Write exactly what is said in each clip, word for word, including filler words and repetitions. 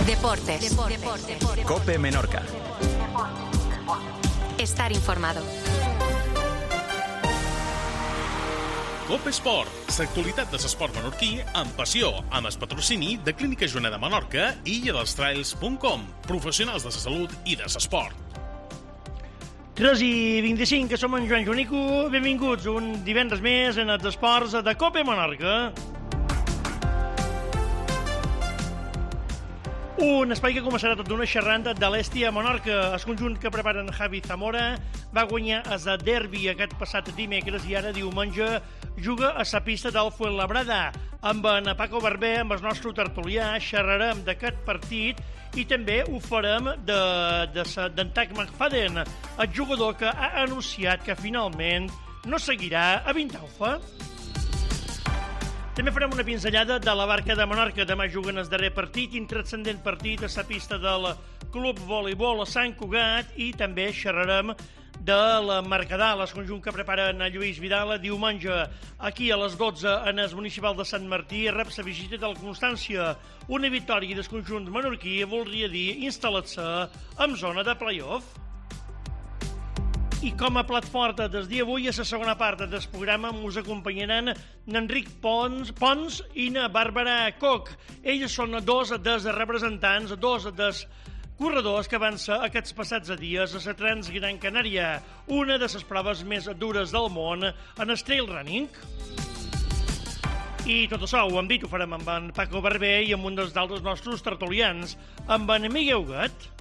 Deportes. Cope Menorca. Estar informado. Cope Esport, l'actualitat de l'esport menorquí amb passió, amb el patrocini de Clínica Joana de Menorca i illa dels trails punt com, professionals de la salut i de l'esport. tres i vint-i-cinc, que som en Joan Joanico. Benvinguts un divendres més en els esports de Cope Menorca. Un espai que començarà tot d'una xerrant de l'Hèstia Menorca. El conjunt que preparen Javi Zamora va guanyar el derbi aquest passat dimecres i ara diumenge juga a la pista del Fuenlabrada. Amb en Paco Barber, amb el nostre tertulià, xerrarem d'aquest partit i també ho farem d'en de, de, Tag McFadden, el jugador que ha anunciat que finalment no seguirà a Vintalfa. També farem una pinzellada de la Barca de Menorca. Demà juguen el darrer partit, intranscendent partit a la pista del Club Voleibol a Sant Cugat, i també xerrarem de la Mercadal, el conjunt que preparen a Lluís Vidal diumenge aquí a les dotze en el municipal de Sant Martí. Rep la visita del Constància. Una victòria del conjunt menorquí voldria dir instal·lar-se en zona de play-off. I com a plat fort del dia avui, a la segona part del programa, us acompanyaran n'Enric Pons, Pons i na Bàrbara Koch. Ells són dos dels representants, dos dels corredors que van ser aquests passats dies a la Transgran Canària, una de les proves més dures del món en el trail running. I tot això, ho hem dit, ho farem amb en Paco Barber i amb un dels d'altres nostres tertulians, amb en Miguel Huguet.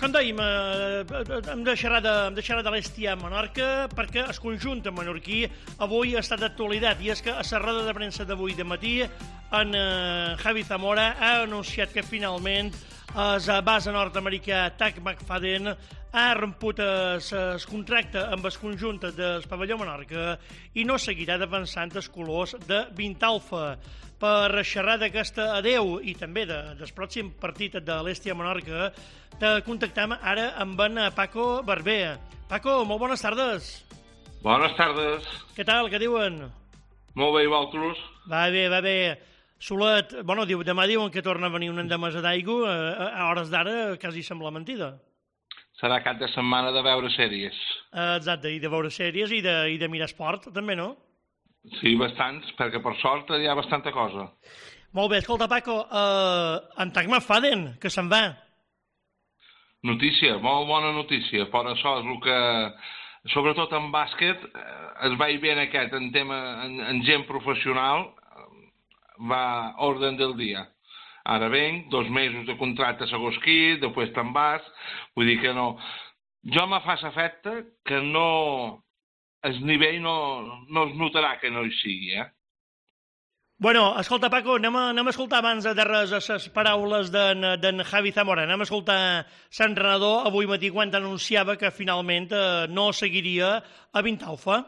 Com dèiem, hem de xerrar de, hem de, xerrar de l'Hèstia Menorca perquè el conjunt menorquí avui ha estat d'actualitat, i és que a la roda de premsa d'avui de matí en eh, Javi Zamora ha anunciat que finalment el base nord-americà Tag McFadden ha romput el contracte amb el conjunt del pavelló Menorca i no seguirà defensant els colors de Vintalfa. Per xerrar d'aquesta adeu i també de, del pròxim partit de l'Hèstia Menorca, te contactam ara amb en Paco Barber. Paco, molt bones tardes. Bones tardes. Què tal, què diuen? Molt bé, i vosaltres? Va bé, va bé. Solet, bueno, diu, demà diuen que torna a venir una endemesa d'aigua, a, a hores d'ara quasi sembla mentida. Serà cap de setmana de veure sèries. Exacte, i de veure sèries i de, i de mirar esport, també, no? Sí, bastants, perquè per sort hi ha bastanta cosa. Molt bé, escolta, Paco, uh, en Tag McFadden, que se'n va. Notícia, molt bona notícia. Per això és el que, sobretot en bàsquet, es va bé en aquest, en tema, en, en gent professional, va orden del dia. Ara venc, dos mesos de contracte segons qui, després te'n vas, vull dir que no... Jo me fa l'efecte que no... el nivell no, no es notarà que no hi sigui, eh? Bueno, escolta, Paco, anem a, anem a escoltar abans de res les paraules d'en Javi Zamora. Anem a escoltar l'entrenador avui matí quan anunciava que finalment eh, no seguiria a Vintalfa.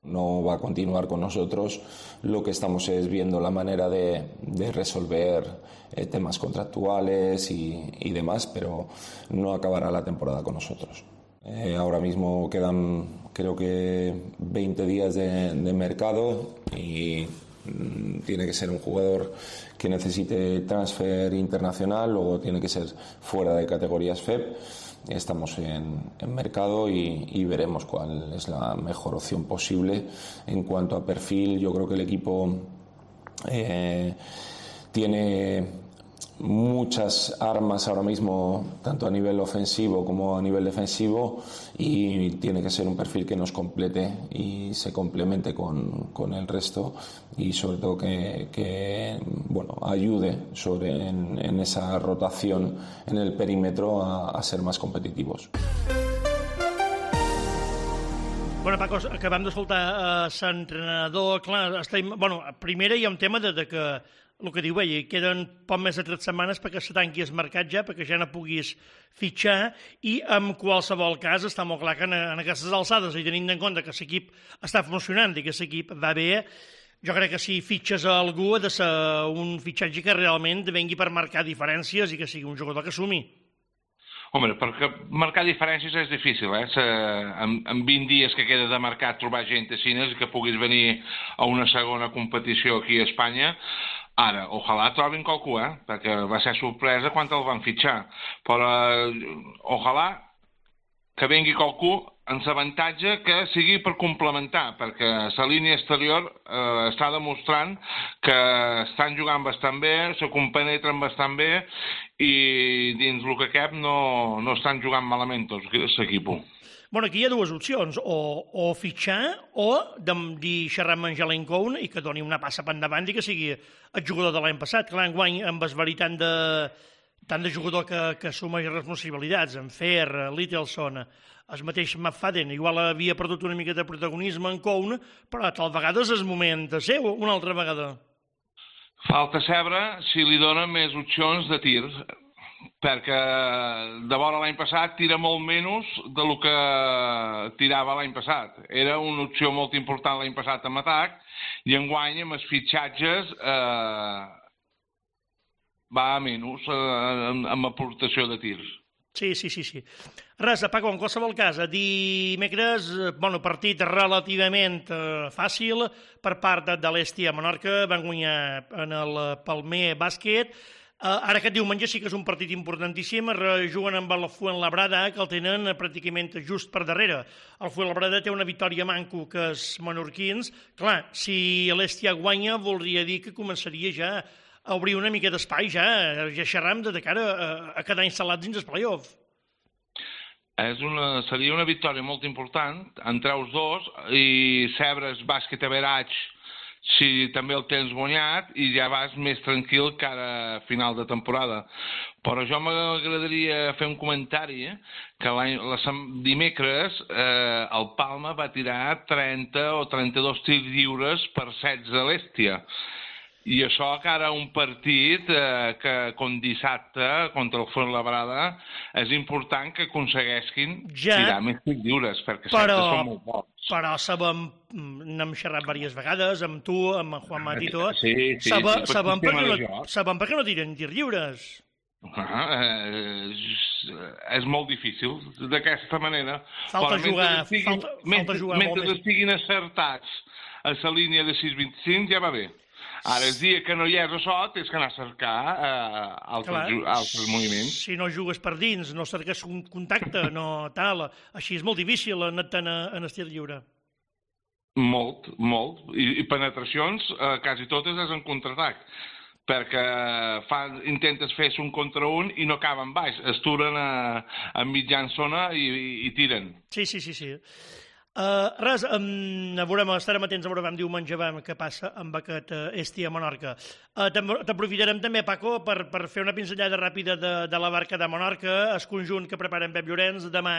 No va a continuar con nosotros. Lo que estamos es viendo la manera de, de resolver eh, temas contractuales y, y demás, pero no acabará la temporada con nosotros. Eh, ahora mismo quedan, creo que, veinte días de, de mercado y mmm, tiene que ser un jugador que necesite transfer internacional, luego tiene que ser fuera de categorías F E P. Estamos en, en mercado y, y veremos cuál es la mejor opción posible. En cuanto a perfil, yo creo que el equipo eh, tiene muchas armas ahora mismo, tanto a nivel ofensivo como a nivel defensivo, y tiene que ser un perfil que nos complete y se complemente con, con el resto, y sobre todo que, que bueno, ayude sobre, en, en esa rotación en el perímetro a, a ser más competitivos. Bueno, Paco, acabem d'escoltar uh, l'entrenador. Clar, estem, bueno, primera hi ha un tema de, de que el que diu ell, queden poc més de tres setmanes perquè se tanqui el mercat ja, perquè ja no puguis fitxar, i en qualsevol cas està molt clar que en, en aquestes alçades, i tenint en compte que l'equip està funcionant i que l'equip va bé, jo crec que si fitxes a algú ha de ser un fitxatge que realment vengui per marcar diferències i que sigui un jugador que sumi. Home, perquè marcar diferències és difícil, eh? En, en vint dies que queda de mercat trobar gent a Cines que puguis venir a una segona competició aquí a Espanya, Ara, ojalà trobin qualcú, eh? Perquè va ser sorpresa quan el van fitxar. Però eh, ojalà que vingui qualcú en l'avantatge que sigui per complementar, perquè la línia exterior eh, està demostrant que estan jugant bastant bé, se compenetren bastant bé i dins el que cap no, no estan jugant malament tots l'equip. Bueno, aquí hi ha dues opcions, o, o fitxar o de dir xerrar amb en Jalen Cohn i que doni una passa per endavant i que sigui el jugador de l'any passat. Clar, enguany, amb el verí tant de, tant de jugador que, que assumeix responsabilitats, en Fer, Littleson, el mateix McFadden, igual havia perdut una mica de protagonisme en Cohn, però tal vegada és el moment de seu, una altra vegada. Falta saber si li dona més opcions de tir, perquè de vora l'any passat tira molt menys del que tirava l'any passat. Era una opció molt important l'any passat en atac i enguany amb els fitxatges eh, va a menys eh, amb aportació de tirs. Sí, sí, sí, sí. Res, Paco, en qualsevol cas, dimecres, bueno, partit relativament eh, fàcil per part de, de l'Hèstia Menorca, van guanyar en el Palmer Bàsquet. Uh, ara aquest diumenge sí que és un partit importantíssim, juguen amb el Fuenlabrada, que el tenen pràcticament just per darrere. El Fuenlabrada té una victòria manco que és menorquins. Clar, si l'Hèstia guanya, voldria dir que començaria ja a obrir una mica d'espai, ja, ja xerram de cara a, a quedar instal·lats dins el play-off. És una, seria una victòria molt important entre els dos i Sebres Bàsquet Average si també el tens guanyat i ja vas més tranquil cara a final de temporada. Però jo m'agradaria fer un comentari eh, que la, dimecres eh, el Palma va tirar trenta o trenta-dos tirs lliures per setze a l'Hèstia. I això cara a un partit eh, que com dissabte contra el Fuenlabrada és important que aconsegueixin ja, tirar més tirs lliures perquè però, són molt bons. Però sabem, n'hem xerrat diverses vegades amb tu, amb en Juan Matito, sí, sí, sabem, sí, sabem, per no, sabem per què no tiren tirs lliures. Ah, eh, és molt difícil d'aquesta manera. Falta però jugar, estiguin, falta, mentre, falta jugar mentre molt estiguin acertats a la línia de sis vint-i-cinc ja va bé. Ara, el dia que no hi és això, tens que anar a cercar eh, altres, Clar, altres moviments. Si no jugues per dins, no cerques un contacte, no tal, així és molt difícil anar-te'n en estil lliure. Molt, molt. I, i penetracions, eh, quasi totes és en contraatac, perquè fa, intentes fer un contra un i no acaben baix, es turen a, a mitjan zona i, i, i tiren. Sí, sí, sí, sí. Uh, res, um, veurem, estarem atents a veure diumenge què passa amb aquest uh, Hèstia Menorca. Uh, T'aprofitarem també, Paco, per, per fer una pinzellada ràpida de, de la barca de Menorca, el conjunt que preparen Pep Llorenç. Demà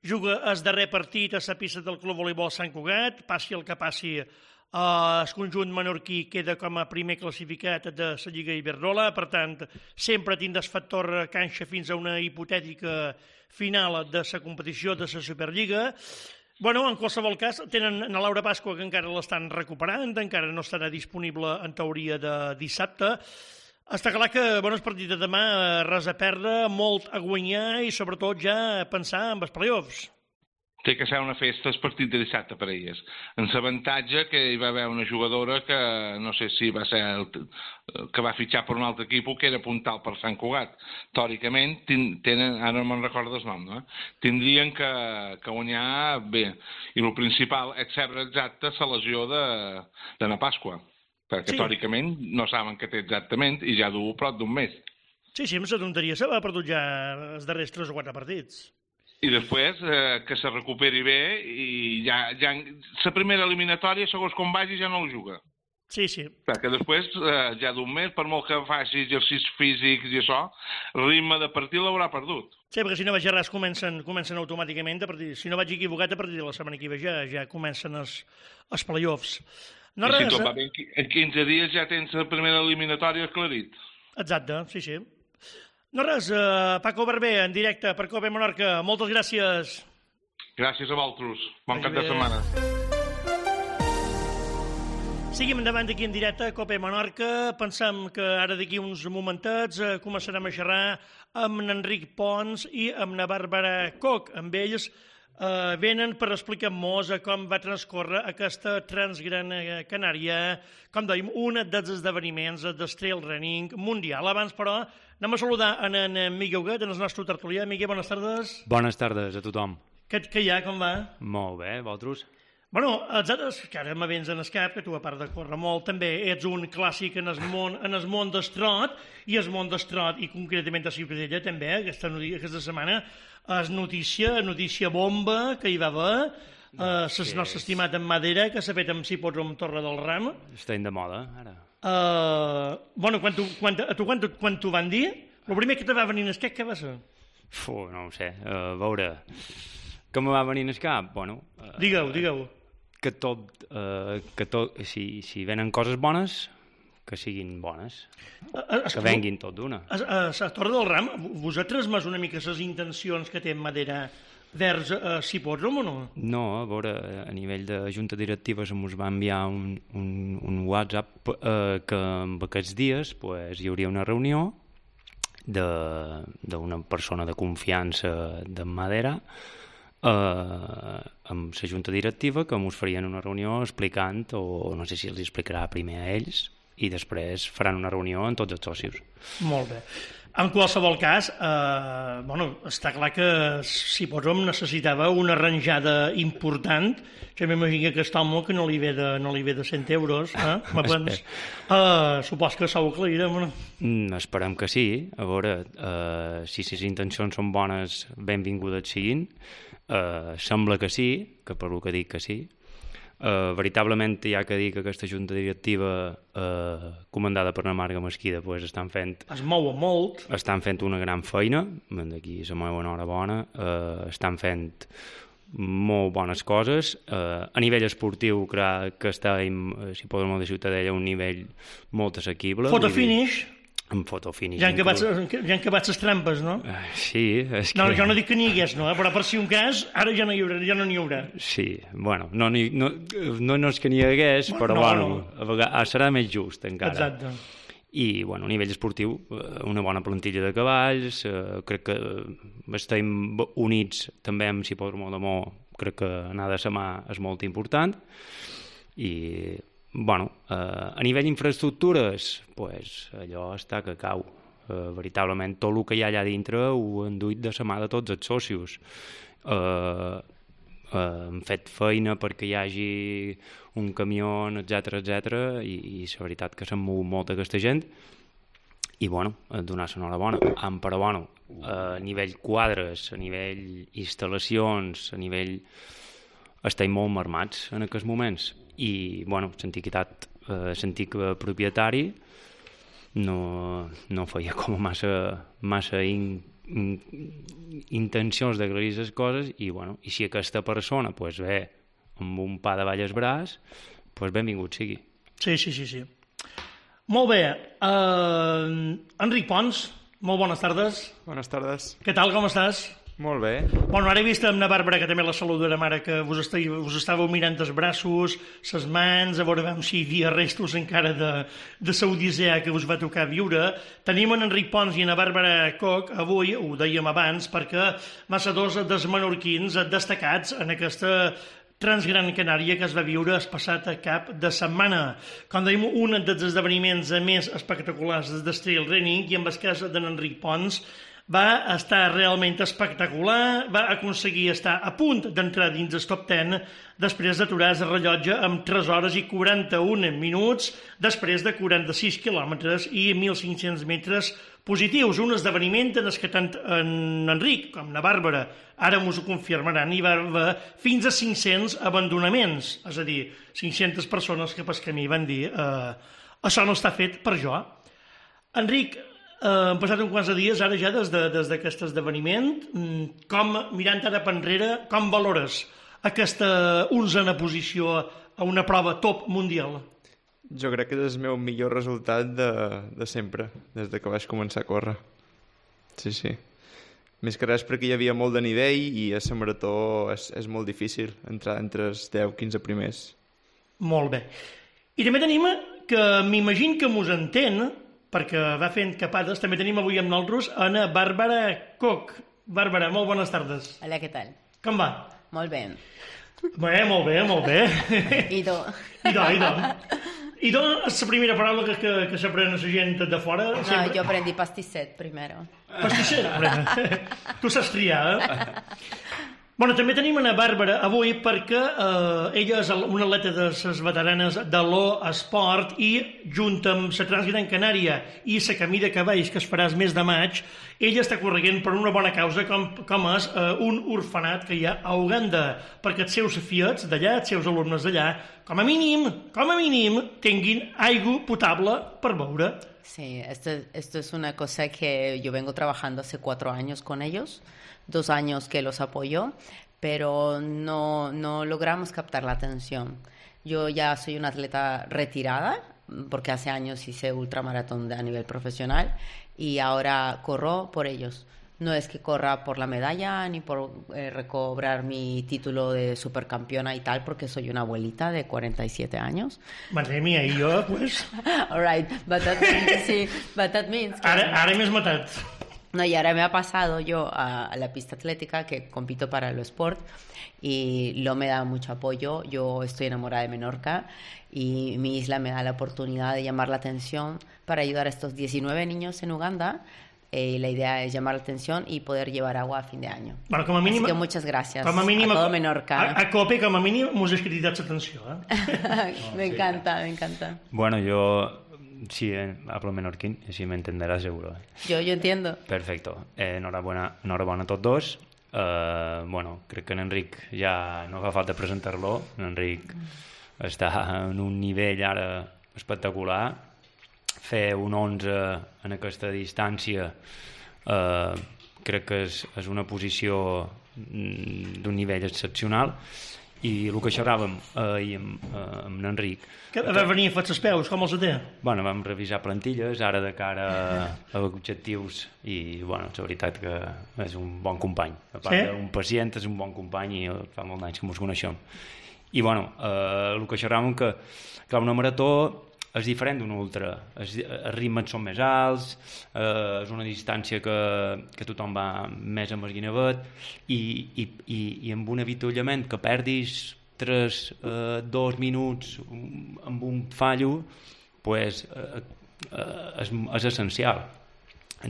juga el darrer partit a la pista del Club Voleibol Sant Cugat, passi el que passi. Uh, el conjunt menorquí queda com a primer classificat de la Lliga Iberdrola, per tant, sempre tindràs factor canxa fins a una hipotètica final de la competició de la Superliga. Bueno, en qualsevol cas, tenen a Laura Pasqua, que encara l'estan recuperant, encara no estarà disponible en teoria de dissabte. Està clar que, bueno, el partit de demà, res a perdre, molt a guanyar i sobretot ja pensar en els play-offs. Té que ser una festa el partit de dissabte per a elles. En l'avantatge que hi va haver una jugadora que, no sé si va ser el, que va fitxar per un altre equip que era puntal per Sant Cugat. Teòricament, tenen, ara no me'n recordo el nom, no? Tindrien que, que guanyar bé. I el principal és saber exacte la lesió de, de na Pasqua, perquè sí, teòricament no saben què té exactament i ja du prop d'un mes. Sí, sí, amb la tonteria se va perdut ja els darrers tres o quatre partits. I després eh, que se recuperi bé i ja, ja la primera eliminatòria, segons com vagi, ja no el juga. Sí, sí. Perquè després, eh, ja d'un mes, per molt que faci exercicis físics i això, el ritme de partit l'haurà perdut. Sí, perquè si no vaig a res, comencen, comencen automàticament. A partir, si no vaig equivocat, a partir de la setmana que ve ja, ja comencen els, els play-offs. No I res, si tot va bé, en quinze dies ja tens la primera eliminatòria aclarit. Exacte, sí, sí. No res, uh, Paco Barber, en directe per Cope Menorca. Moltes gràcies. Gràcies a vosaltres. Bon cap de setmana. Seguim endavant aquí en directe a Cope Menorca. Pensem que ara d'aquí uns momentets uh, començarem a xerrar amb n'Enric Pons i amb na Bàrbara Coc. Amb ells Uh, venen per explicar-nos com va transcorrer aquesta Transgran Canària, com dèiem, un dels esdeveniments del trail running mundial. Abans, però, anem a saludar en, en Miguel Huguet, en el nostre tertulià. Miguel, bones tardes. Bones tardes a tothom. Què, què hi ha, com va? Molt bé, vosaltres? Bueno, els altres, que ara m'avens en el cap, que tu, a part de córrer molt, també ets un clàssic en el món, en el món d'estrot, i el món d'estrot, i concretament a Ciutadella, també, aquesta, aquesta setmana, és notícia, notícia bomba que hi va haver, eh, el nostre estimat en Madera, que s'ha fet amb Cipòdrom Torre del Ram. Estem de moda, ara. Eh, bueno, quan tu, quan, a tu quan, quan t'ho van dir, el primer que te va venir en el cap, què va ser? Fu, no ho sé, a veure, que me va venir en el cap? Bueno... Uh, digueu, digueu. Que tot, uh, que tot, si, si venen coses bones, que siguin bones, a, a, que venguin tot d'una. A, a, a Torre del Ram, vos ha transmès una mica les intencions que té en Madera vers uh, Cipòdrom o no? No, a veure, a nivell de junta directiva se'ns va enviar un, un, un WhatsApp uh, que en aquests dies pues, hi hauria una reunió d'una persona de confiança de Madera eh, amb la junta directiva que ens farien una reunió explicant, o no sé si els explicarà primer a ells, i després faran una reunió amb tots els socis. Molt bé. En qualsevol cas, eh, bueno, està clar que Cipòdrom necessitava una arranjada important. Jo m'imagino que aquest home que no li ve de, no li ve de cent euros, eh? uh, supos que s'ho aclarirem, no? Mm, esperem que sí. A veure, uh, si les intencions són bones, benvingudes siguin. Uh, sembla que sí, que per el que dic que sí. Uh, veritablement hi ha que dir que aquesta junta directiva uh, comandada per la Marga Mesquida pues, estan fent es mou molt estan fent una gran feina, d'aquí la meva enhorabona, uh, estan fent molt bones coses. Uh, a nivell esportiu crec que estem, si podem dir, de Ciutadella a un nivell molt assequible. Foto finish en fotofinish. Ja han acabat, ja han acabat les trampes, no? Uh, sí, és que... No, jo no dic que n'hi hagués, no? Però per si un cas, ara ja no n'hi haurà. Ja no n'hi haurà. Sí, bueno, no, no, no, no és que n'hi hagués, però no, bueno, no. A vegades serà més just encara. Exacte. I, bueno, a nivell esportiu, una bona plantilla de cavalls, eh, crec que estem units també amb Cipòdrom de Mo, crec que anar de la mà és molt important, i... Bueno, eh, a nivell d'infraestructures, pues, allò està que cau. Eh, veritablement, tot el que hi ha allà dintre ho han duit de la mà de tots els socis. Eh, eh, hem fet feina perquè hi hagi un camió, etcètera, etcètera, i, i la veritat que se'n mou molta aquesta gent. I, bueno, donar l'enhorabona. Però, bueno, a nivell quadres, a nivell instal·lacions, a nivell... estem molt marmats en aquests moments. I, bueno, l'antiguitat, eh, l'antic propietari no, no feia com massa, massa in, in, intencions d'aclarir les coses, i, bueno, i si aquesta persona pues, ve amb un pa de ball al braç, pues, benvingut sigui. Sí, sí, sí, sí. Molt bé. Uh, Enric Pons, molt bones tardes. Bones tardes. Què tal, com estàs? Molt bé. Bueno, ara he vist amb la Bàrbara, que també la saludarem ara, que us, esteu, us estàveu mirant els braços, les mans, a veure si hi havia restos encara de, de la odissea que us va tocar viure. Tenim en Enric Pons i en la Bàrbara Coc, avui, ho dèiem abans, perquè massa dos dels menorquins destacats en aquesta Transgran Canària que es va viure el passat cap de setmana. Com dèiem, un dels esdeveniments més espectaculars del trail running, i en el cas d'en Enric Pons, va estar realment espectacular, va aconseguir estar a punt d'entrar dins el top deu després d'aturar el rellotge amb tres hores i quaranta-un minuts, després de quaranta-sis quilòmetres i mil cinc-cents metres positius. Un esdeveniment en què tant en Enric com la Bàrbara ara m'ho confirmaran, hi va haver fins a cinc-cents abandonaments, és a dir, cinc-centes persones que pel camí van dir eh, això no està fet per jo. Enric, Uh, han passat uns quants de dies ara ja des d'aquest de, esdeveniment. Com, mirant ara per enrere, com valores aquesta onzena posició a una prova top mundial? Jo crec que és el meu millor resultat de, de sempre, des de que vaig començar a córrer. Sí, sí. Més que res perquè hi havia molt de nivell i a la marató és, és molt difícil entrar entre els deu quinze primers. Molt bé. I també tenim que m'imagino que mos entén, perquè va fent capades. També tenim avui amb nosaltres Ana Bàrbara Coc. Bàrbara, molt bones tardes. Hola, què tal? Com va? Molt bé. Bé, molt bé, molt bé. I do. I do, i do. I do és la primera paraula que, que, que s'aprèn a la gent de fora? No, sempre... jo aprendí pastisset primero. Pastisset? Tu saps triar, eh? Bueno, també tenim una Bàrbara avui perquè eh, ella és una atleta de les veteranes de l'O Esport i junt amb la Transgran Canària i la Camí de Cavalls, que es farà el mes de maig, ella està correguent per una bona causa com, com és eh, un orfenat que hi ha a Uganda, perquè els seus fiets d'allà, els seus alumnes d'allà, com a mínim, com a mínim, tinguin aigua potable per beure. Sí, esto, esto es una cosa que yo vengo trabajando hace cuatro años con ellos, dos años que los apoyo, pero no, no logramos captar la atención. Yo ya soy una atleta retirada, porque hace años hice ultramaratón a nivel profesional, y ahora corro por ellos. No es que corra por la medalla ni por eh, recobrar mi título de supercampeona y tal, porque soy una abuelita de cuarenta y siete años. Madre mía, y yo, pues... All right, but that means, sí, but that means que... Ara, ara m'he matat. No, y ahora me ha pasado yo a, a la pista atlética, que compito para el sport, y lo me da mucho apoyo. Yo estoy enamorada de Menorca y mi isla me da la oportunidad de llamar la atención para ayudar a estos diecinueve niños en Uganda. Eh, la idea es llamar la atención y poder llevar agua a fin de año. Bueno, com a mínim, Así que muchas gracias com a, mínim, a todo Menorca. A, a COPE, com a mínim, mos has cridat l'atenció. Eh? Me encanta, me encanta. Bueno, yo sí eh, hablo menorquín, y sí me entenderás seguro. Yo, yo entiendo. Perfecto. Eh, enhorabuena, enhorabuena a tots dos. Eh, bueno, crec que en Enric ja no fa falta presentar-lo. En Enric està en un nivell ara espectacular. Fer un onze en aquesta distància eh, crec que és, és una posició d'un nivell excepcional. I el que xerràvem ahir amb, eh, amb Enric... Que va venir a fer els peus, com els té? Bueno, vam revisar plantilles, ara de cara a, a objectius, i bueno, la veritat que és un bon company. A part sí? d'un pacient, és un bon company i fa molt d'anys que ens coneixem. I bueno, eh, el que xerràvem que, clar, una marató és diferent d'una ultra, els, els ritmes són més alts, eh, és una distància que, que tothom va més amb el guinevet, i, i, i, i amb un avituallament que perdis tres, eh, dos minuts amb un fallo, pues, eh, eh, és, és essencial.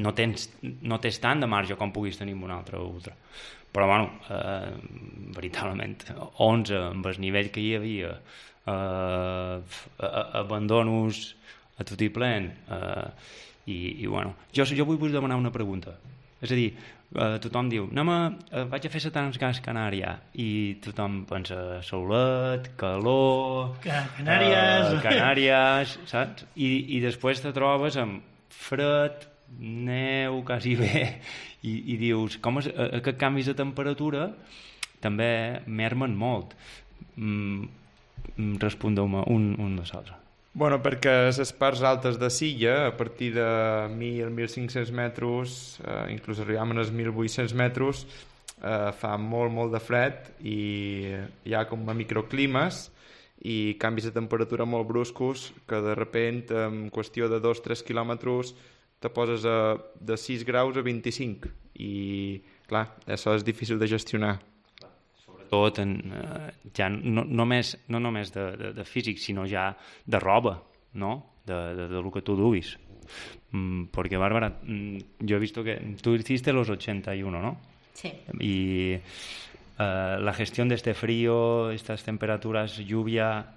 No tens, no tens tant de marge com puguis tenir amb una altra ultra. Però, bueno, eh, veritablement, onze amb el nivell que hi havia, Uh, abandonos a tot i plen, uh, i, i bueno, jo, jo vull, vull demanar una pregunta, és a dir, uh, tothom diu anem a, uh, vaig a fer la Transgran Canària, i tothom pensa solet, calor, Canàries, uh, Canàries, saps? I, i després te trobes amb fred, neu, quasi bé, i, i dius, com és, aquests canvis de temperatura també mermen molt. mm, Respondeu-me un, un de l'altre. Bueno, perquè les parts altes de Silla, a partir de mil a mil cinc-cents metres, eh, inclús arribam als mil vuit-cents metres, eh, fa molt, molt de fred i hi ha com a microclimes i canvis de temperatura molt bruscos que de sobte, en qüestió de dos a tres quilòmetres, te poses a, de sis graus a vint-i-cinc i, clar, això és difícil de gestionar. Tot en, eh, ja no, només, no només de, de, de físic, sinó ja de roba, no? De, de, de lo que tu duis. Mm, porque, Bárbara, mm, yo he visto que tú hiciste los ochenta y uno, ¿no? Sí. Y eh, la gestión de este frío, estas temperaturas, lluvia...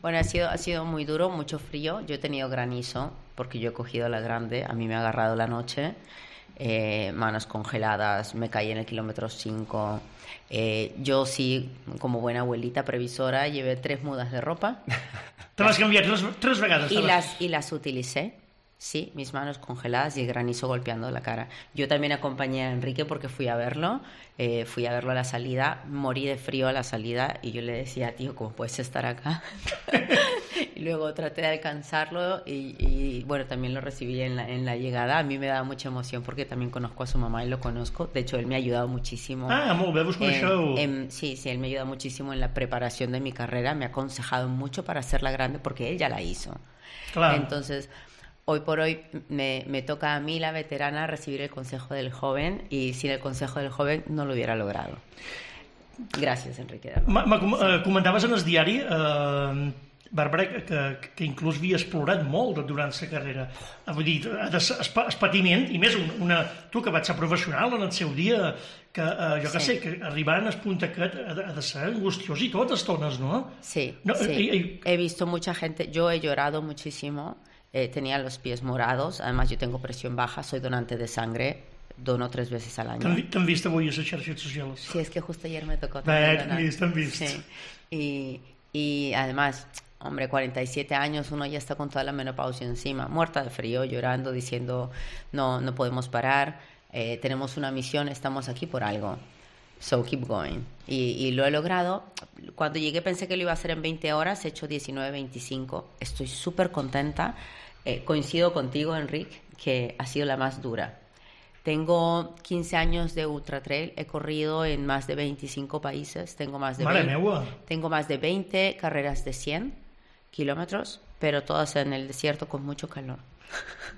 Bueno, ha sido, ha sido muy duro, mucho frío. Yo he tenido granizo, porque yo he cogido la grande, a mí me ha agarrado la noche. Eh, manos congeladas, me caí en el kilómetro cinco. Eh, yo sí, como buena abuelita previsora, llevé tres mudas de ropa. Te las cambié tres, tres vegades. Y las, y las utilicé, sí, mis manos congeladas y el granizo golpeando la cara. Yo también acompañé a Enrique porque fui a verlo, eh, fui a verlo a la salida, morí de frío a la salida y yo le decía, tío, ¿cómo puedes estar acá? Y luego traté de alcanzarlo y, y bueno, también lo recibí en la, en la llegada. A mí me da mucha emoción porque también conozco a su mamá y lo conozco. De hecho, él me ha ayudado muchísimo. Ah, molt bé, vos coneixeu. En, en, sí, sí, él me ha ayudado muchísimo en la preparación de mi carrera. Me ha aconsejado mucho para hacerla grande porque él ya la hizo. Claro. Entonces, hoy por hoy me, me toca a mí, la veterana, recibir el consejo del joven y sin el consejo del joven no lo hubiera logrado. Gràcies, Enrique. Ma, ma, eh, comentaves en el diari, eh, Bàrbara, que, que inclús havia explorat molt durant la carrera. Vull dir, el patiment, i més una, tu que vaig ser professional en el seu dia, que eh, jo que sí. sé, que arribant al punt aquest ha de, ha de ser angustiós i tot estones, ¿no? Sí, no, sí. Eh, eh, he visto mucha gente, yo he llorado muchísimo, eh, tenía los pies morados, además yo tengo presión baja, soy donante de sangre, dono tres veces al año. T'han vist avui a les xarxes socials? Sí, es que justo ayer me tocó. Bé, t'han vist, t'han vist. Sí. Y, y además, hombre, cuarenta y siete años, uno ya está con toda la menopausia encima, muerta de frío, llorando, diciendo, no, no podemos parar, eh, tenemos una misión, estamos aquí por algo. So keep going. Y, y lo he logrado. Cuando llegué pensé que lo iba a hacer en veinte horas, he hecho diecinueve veinticinco. Estoy súper contenta. Eh, coincido contigo, Enrique, que ha sido la más dura. Tengo quince años de ultra trail, he corrido en más de veinticinco países, tengo más de veinte, tengo más de veinte carreras de cien kilómetros, pero todas en el desierto con mucho calor.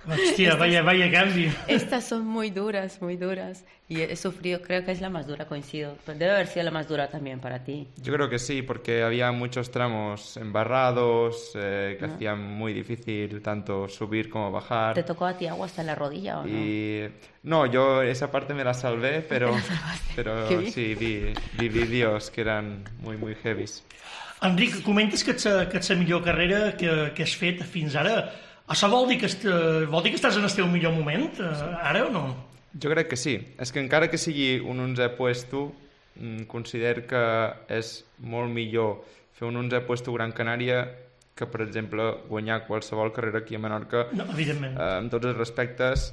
Hostia, estas, vaya, vaya cambio. Estas son muy duras, muy duras. Y he sufrido, creo que es la más dura, coincido. Debe haber sido la más dura también para ti. Yo creo que sí, porque había muchos tramos embarrados, eh, que ¿no? hacían muy difícil tanto subir como bajar. ¿Te tocó a ti agua hasta la rodilla o no? Y... No, yo esa parte me la salvé, pero, pero sí, vi, vi vídeos que eran muy, muy heavies. Enric, comentes que és, que és la millor carrera que, que has fet fins ara. Això vol dir que, est, vol dir que estàs en el teu millor moment, ara o no? Jo crec que sí. És que encara que sigui un onzè puesto, considero que és molt millor fer un onzè puesto Gran Canària que, per exemple, guanyar qualsevol carrera aquí a Menorca. No, evidentment. Eh, amb tots els respectes,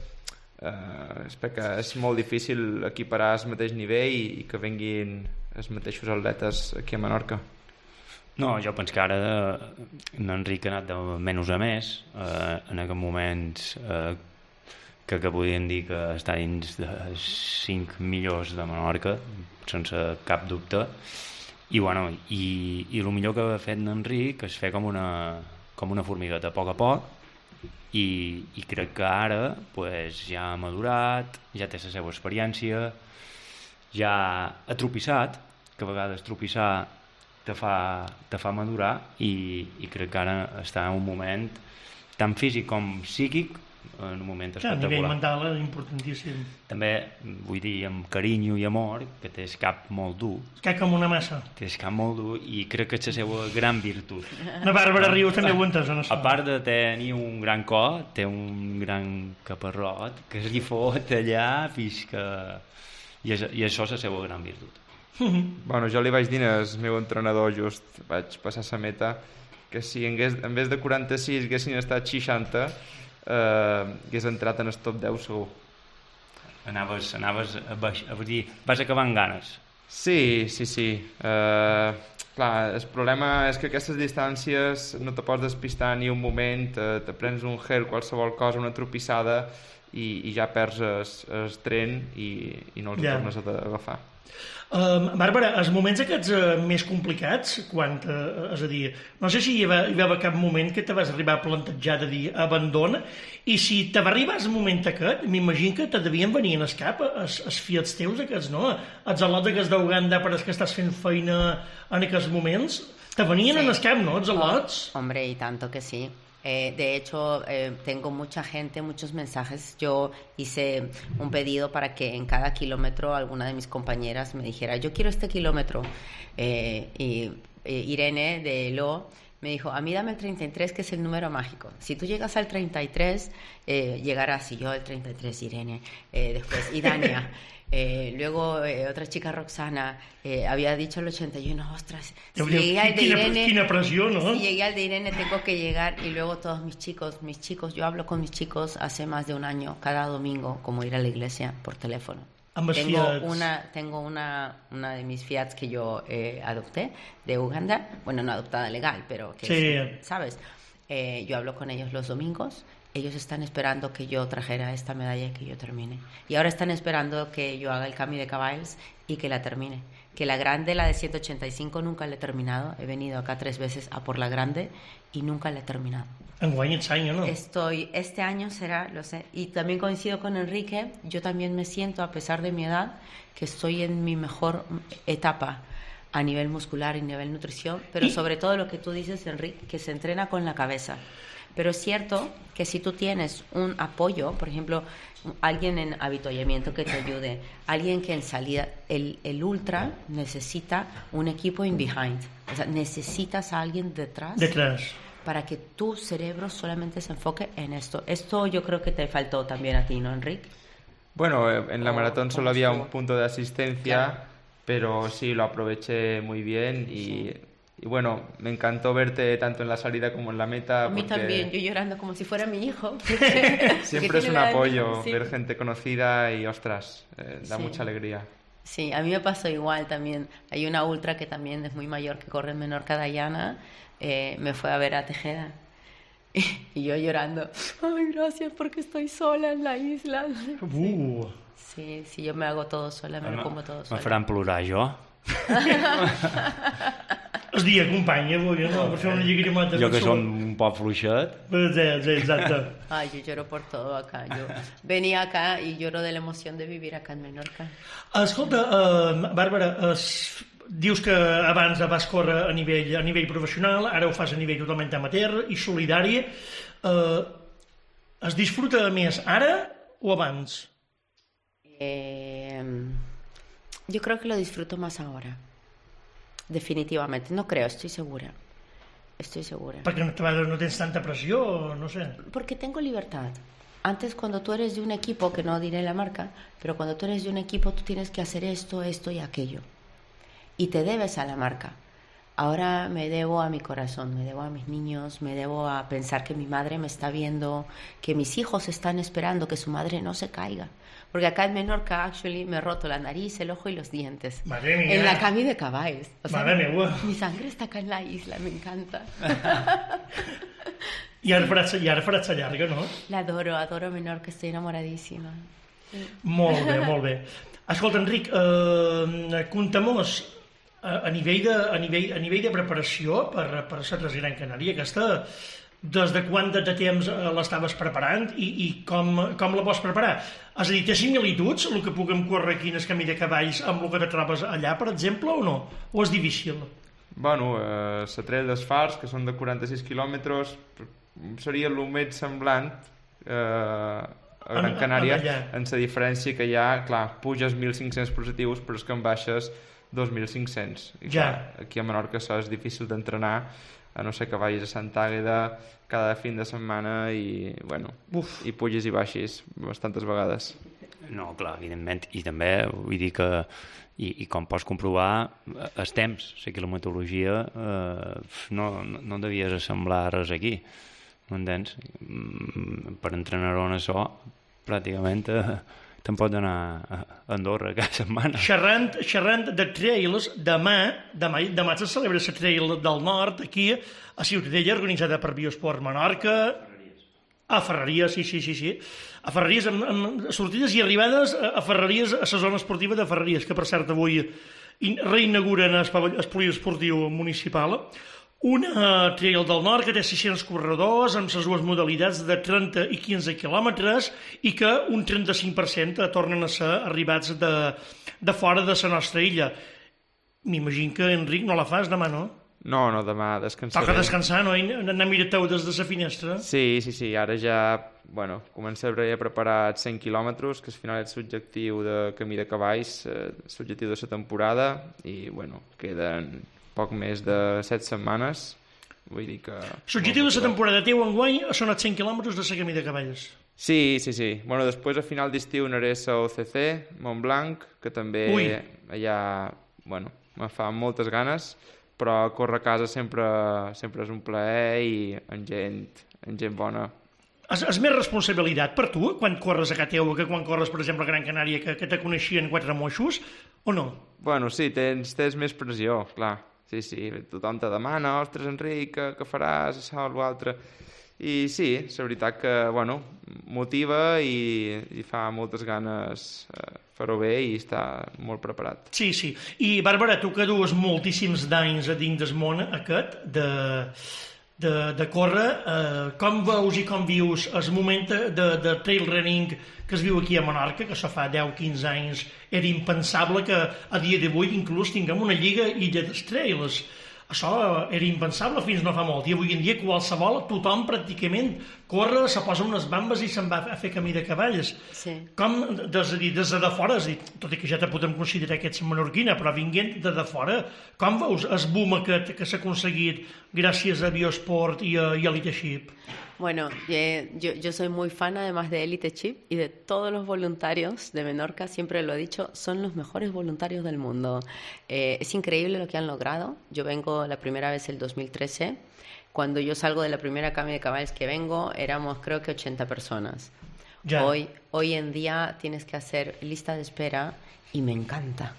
eh, és perquè és molt difícil equiparar el mateix nivell i, i que venguin els mateixos atletes aquí a Menorca. No, jo penso que ara l'Enric ha anat de menys a més, eh, en aquests moments eh, que, que podien dir que està dins de cinc millors de Menorca, sense cap dubte, i, bueno, i, i el millor que ha fet l'Enric és fer com una, com una formigueta a poc a poc, i, i crec que ara pues, ja ha madurat, ja té la seva experiència, ja ha tropissat, que a vegades tropissar te fa, te fa madurar, i, i crec que ara està en un moment tant físic com psíquic, en un moment espectacular. A nivell mental és importantíssim. També, vull dir, amb carinyo i amor, que té el cap molt dur. El cap com una massa. Té el cap molt dur i crec que és la seva gran virtut. La Bàrbara Rius també ho entès, no? A part de tenir un gran cor, té un gran caparrot que es li fot allà fins que... I, és, i això és la seva gran virtut. Bueno, jo li vaig dir al meu entrenador, just vaig passar la meta, que si en, hagués, en vez de quaranta-sis haguessin estat seixanta, eh, hagués entrat en el top deu segur. Anaves, anaves a, baix, a dir, vas acabar amb ganes. Sí, sí, sí. Eh, clar, el problema és que aquestes distàncies no te pots despistar ni un moment, te, te prens un gel, qualsevol cosa, una tropissada, i, i ja perds el, el tren i, i no els yeah. tornes a agafar. Uh, Bàrbara, els moments aquests uh, més complicats, quan, uh, és a dir, no sé si hi va, hi va haver cap moment que te vas arribar a plantejar de dir abandona, i si te va arribar el moment aquest, m'imagino que te devien venir en el cap els, els fiats teus aquests, no? Els al·lots aquests d'Uganda per als que estàs fent feina en aquests moments, te venien sí. en el cap, no, els al·lots? Oh, hombre, y tanto que sí. Eh, de hecho, eh, tengo mucha gente, muchos mensajes. Yo hice un pedido para que en cada kilómetro alguna de mis compañeras me dijera, yo quiero este kilómetro. Eh, y eh, Irene de Lo me dijo, a mí dame el treinta y tres, que es el número mágico. Si tú llegas al treinta y tres, eh, llegarás. Y yo el treinta y tres, Irene. Eh, después, y Dania. Eh, luego eh, otra chica, Roxana, eh, había dicho el ochenta y uno, ostras, si llegué al de Irene, quina pressió, no? Si llegué al de Irene tengo que llegar. Y luego todos mis chicos, mis chicos, yo hablo con mis chicos hace más de un año, cada domingo, como ir a la iglesia por teléfono. Tengo una, tengo una, una de mis Fiats que yo eh, adopté de Uganda, bueno, no adoptada legal, pero que sí. es, ¿sabes? Eh, yo hablo con ellos los domingos. Ellos están esperando que yo trajera esta medalla y que yo termine. Y ahora están esperando que yo haga el cambio de caballos y que la termine. Que la grande, la de ciento ochenta y cinco, nunca la he terminado. He venido acá tres veces a por la grande y nunca la he terminado. Enguany este año, ¿no? Estoy, este año será, lo sé. Y también coincido con Enrique. Yo también me siento, a pesar de mi edad, que estoy en mi mejor etapa. a nivel muscular y nivel nutrición, pero sobre todo lo que tú dices, Enrique, que se entrena con la cabeza. Pero es cierto que si tú tienes un apoyo, por ejemplo, alguien en avituallamiento que te ayude, alguien que en salida, el, el ultra necesita un equipo in behind, o sea, necesitas a alguien detrás, detrás para que tu cerebro solamente se enfoque en esto. Esto yo creo que te faltó también a ti, ¿no, Enrique? Bueno, en la Oh, maratón solo ¿cómo había estuvo? un punto de asistencia, Claro. pero sí, lo aproveché muy bien y, y bueno, me encantó verte tanto en la salida como en la meta. A mí porque también, yo llorando como si fuera mi hijo. porque- siempre porque es un tiene la- apoyo sí. ver gente conocida y, ostras, eh, da Sí. mucha alegría. Sí, a mí me pasó igual también. Hay una ultra que también es muy mayor, que corre en Menorca, Dayana, eh, me fue a ver a Tejeda. Y yo llorando, ay, gracias porque estoy sola en la isla. Uh. Sí, sí, yo me hago todo sola, me lo como todo Me sola. faran plorar, jo. Es dia, company, avui, no? Per fer una lliguerimata. Jo que som un poc fluixet. Exacte. Ay, yo lloro por todo acá. Yo venía acá y lloro de la emoción de vivir acá en Menorca. Escolta, uh, Bàrbara, uh, dius que abans vas córrer a nivell, a nivell professional, ara ho fas a nivell totalment amateur i solidari. Uh, es disfruta més ara o abans? Eh, yo creo que lo disfruto más ahora. Definitivamente. No creo, estoy segura. Estoy segura. Perquè no, no tens tanta pressió, no sé. Porque tengo libertad. Antes, cuando tú eres de un equipo, que no diré la marca, pero cuando tú eres de un equipo, tú tienes que hacer esto, esto y aquello. Y te debes a la marca. Ahora me debo a mi corazón, me debo a mis niños, me debo a pensar que mi madre me está viendo, que mis hijos están esperando que su madre no se caiga. Porque acá en Menorca, actually, me he roto la nariz, el ojo y los dientes. Madre mía. En la cami de caballos. O sea, Madre mía. mi sangre está acá en la isla, me encanta. I ara faràs, i ara faràs la llarga, no? La adoro, adoro Menorca, estoy enamoradísima. Molt bé, molt bé. Escolta, Enric, eh, compta-mos a, a, nivell de, a, nivell, a nivell de preparació per, per la Tres Gran Canària, aquesta, des de quant de temps l'estaves preparant i, i com, com la vols preparar? És a dir, té similituds el que puguem córrer aquí en el camí de cavalls amb el que te trobes allà, per exemple, o no? O és difícil? Bueno, eh, la Trail dels Fars, que són de quaranta-sis quilòmetres, seria el més semblant eh, a Gran En- Canària, allà. en la diferència que ja, clar, puges mil cinc-cents positius, però és que en baixes dos mil cinc-cents. I Ja. clar, aquí a Menorca això és difícil d'entrenar, a no ser que vagis a Santa Àgueda cada fin de setmana i, bueno, Uf. i puges i baixis bastantes vegades. No, clar, evidentment. I també vull dir que, i, i com pots comprovar, eh, els temps, la quilometrologia, eh, no, no, no devies assemblar res aquí, m'entens? Mm, Per entrenar en això, pràcticament eh, te'n pots anar a Andorra cada setmana. Xerrant, xerrant de trails, demà, demà, demà se celebra la Trail del Nord, aquí, a Ciutadella, organitzada per Biosport Menorca. A Ferreries, sí, sí, sí, sí. A Ferreries, amb, amb sortides i arribades a Ferreries, a la zona esportiva de Ferreries, que per cert avui in- reinauguren el pavell- el poliesportiu municipal. Una Trail del Nord que té sis-cents corredors amb les dues modalitats de trenta i quinze quilòmetres i que un trenta-cinc per cent tornen a ser arribats de, de fora de la nostra illa. M'imagino que, Enric, no la fas demà, no? No, no, demà descansaré. Toca descansar, no? I anar a mirar-teu des de la finestra. Sí, sí, sí, ara ja, bueno, començaré a preparar cent quilòmetres, que al final és l'objectiu de Camí de Cavalls, eh, l'objectiu de la temporada, i, bueno, queden poc més de set setmanes, vull dir que... L'objectiu de la temporada teu enguany són els cent quilòmetres de la Camí de Cavalls. Sí, sí, sí. Bueno, després a final d'estiu anaré a la O C C, Montblanc, que també Ui. allà, bueno, me fa moltes ganes, però córrer a casa sempre, sempre és un plaer i amb gent, amb gent bona. És, és més responsabilitat per tu quan corres a casa teu que quan corres, per exemple, a Gran Canària, que, que te coneixien quatre moixos, o no? Bueno, sí, tens, tens més pressió, clar. Sí, sí, tothom te demana, ostres, Enric, què, què faràs, això o l'altre. I sí, és la veritat que, bueno, motiva i, i fa moltes ganes eh, fer-ho bé i estar molt preparat. Sí, sí. I, Bàrbara, tu que dues moltíssims d'anys a dins del món aquest, de, de, de córrer. Eh, com veus i com vius el moment de, de trail running que es viu aquí a Menorca, que això fa deu quinze anys era impensable que a dia d'avui inclús tinguem una lliga Illa dels Trails. Això era impensable fins no fa molt, i avui en dia qualsevol, tothom pràcticament corre, se posa unes bambes i se'n va a fer camí de cavalls. Sí. Com, des, des de fora, tot i que ja te podem considerar que ets menorquina, però vinguent de de fora, com veus el boom aquest que s'ha aconseguit gràcies a Biosport i a, i a Leadership? Bueno, eh, yo, yo soy muy fan además de Elite Chip y de todos los voluntarios de Menorca, siempre lo he dicho, son los mejores voluntarios del mundo. Eh, es increíble lo que han logrado. Yo vengo la primera vez el dos mil trece, cuando yo salgo de la primera cami de caballos que vengo, éramos creo que ochenta personas. Ya. Hoy, hoy en día tienes que hacer lista de espera y me encanta.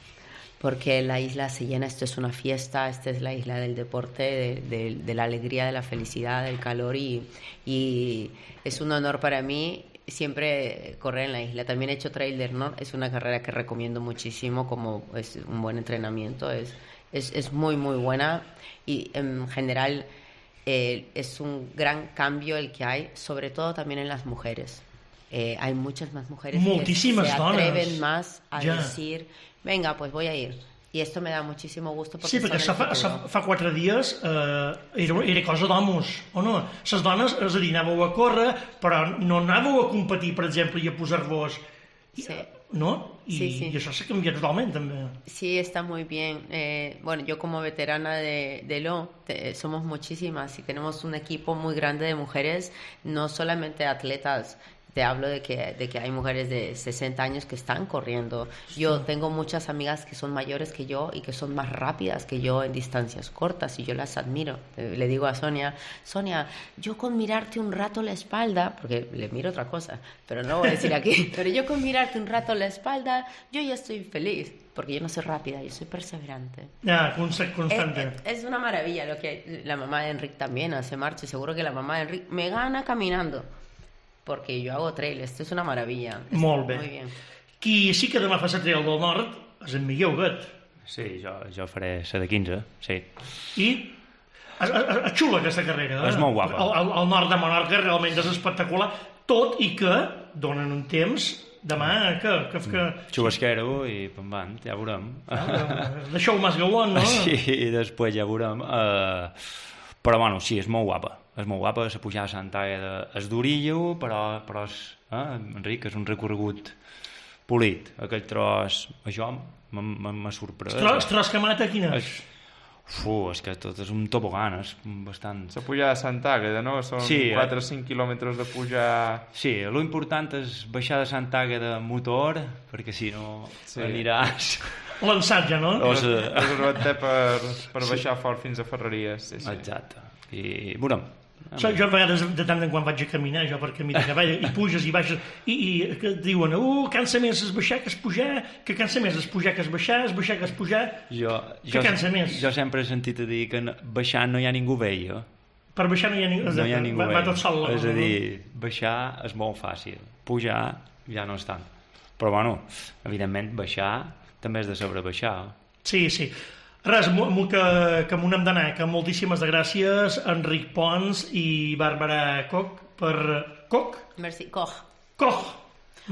Porque la isla se llena, esto es una fiesta, esta es la isla del deporte, de, de, de la alegría, de la felicidad, del calor y, y es un honor para mí siempre correr en la isla. También he hecho Trail del Nord, es una carrera que recomiendo muchísimo, como es un buen entrenamiento, es, es, es muy muy buena y en general eh, es un gran cambio el que hay, sobre todo también en las mujeres. Eh, hay muchas más mujeres Moltíssimes que se dones. atreven más a ja. decir, venga, pues voy a ir. Y esto me da muchísimo gusto porque sí, perquè fa, fa, fa quatre dies eh, era, era cosa d'homes, o no? Les dones, és a dir, anàveu a córrer, però no anàveu a competir, per exemple, i a posar-vos... Sí. ¿No? Y, sí, sí. y eso se cambia totalmente también. Sí, está muy bien. Eh, bueno, yo como veterana de, de L O, te, somos muchísimas y tenemos un equipo muy grande de mujeres, no solamente atletas. Te hablo de que, de que hay mujeres de sesenta años que están corriendo. Yo tengo muchas amigas que son mayores que yo y que son más rápidas que yo en distancias cortas y yo las admiro. Le digo a Sonia, Sonia, yo con mirarte un rato la espalda, porque le miro otra cosa, pero no lo voy a decir aquí, pero yo con mirarte un rato la espalda, yo ya estoy feliz, porque yo no soy rápida, yo soy perseverante. Ya, constante. Es, es una maravilla lo que la mamá de Enric también hace marcha, seguro que la mamá de Enric me gana caminando. Porque yo hago trail, esto es una maravilla. Molt bé. Muy bien. Qui sí que demà fa la trail del nord és en Miguel Huguet. Sí, jo, jo faré la de quinze, sí. I és, és, és xula aquesta carrera. Eh? És molt guapa. El, el, el nord de Menorca realment és espectacular, tot i que donen un temps demà que... que, que... Xubasquero i pam pam, ja veurem. Ah, deixeu més gauant, no? Sí, i després ja veurem. Uh, però bueno, sí, és molt guapa. És molt guapa, la pujada a Santa Àgueda és durillo, però, però és, eh, Enric, és un recorregut polit. Aquell tros, això m'ha sorprès. El tros, tros que mata, quin és? Fu, és que tot és un tobogan, és bastant... La pujada a Santa Àgueda, no? Són sí, quatre o cinc quilòmetres de pujar... Sí, l'important és baixar de Santa Àgueda amb motor, perquè si no sí. aniràs... L'ensat ja, no? O sigui... És per, per baixar sí. fort fins a Ferreries. Sí, sí. Exacte. I veurem. So, jo a vegades de tant en quan vaig a caminar jo per camí de cavall i puges i baixes i, i que diuen, uh, cansa més es baixar que es pujar, que cansa més es pujar que es baixar, es baixar que es pujar, jo, que jo, cansa més. Jo sempre he sentit a dir que baixant no hi ha ningú veia. Per baixar no hi ha ningú, no hi ha ningú va, va tot sol. És a dir, baixar és molt fàcil, pujar ja no és tant. Però bueno, evidentment baixar també és de saber baixar. Sí, sí. Res, que, que m'ho hem d'anar, que moltíssimes de gràcies Enric Pons i Bàrbara Koch per... Koch? Merci, Koch. Koch.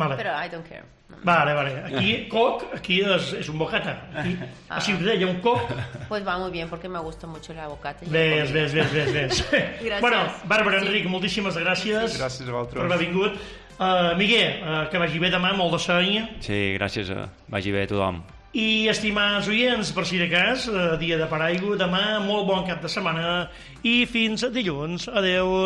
Vale. Però I don't care. No. Vale, vale. Aquí, Koch, aquí és, és un bocata. Aquí, ah. A Ciutadella hi ha un Koch. Pues va muy bien, porque me gusta mucho la bocata. Ves, ves, ves, ves, ves. Gràcies. Bueno, Bàrbara, sí. Enric, moltíssimes gràcies. Gràcies a vosaltres. Per haver vingut. Uh, Miguel, uh, que vagi bé demà, molt de seny. Sí, gràcies. A... Vagi bé a tothom. I, estimats oients, per si de cas, eh, dia de paraigua, demà, molt bon cap de setmana i fins dilluns. Adeu.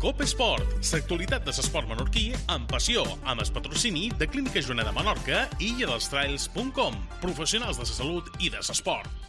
Cope Esport, l'actualitat de l'esport menorquí amb passió, amb el patrocini de Clínica Joana de Menorca i illa dels trails punt com, professionals de la salut i de l'esport.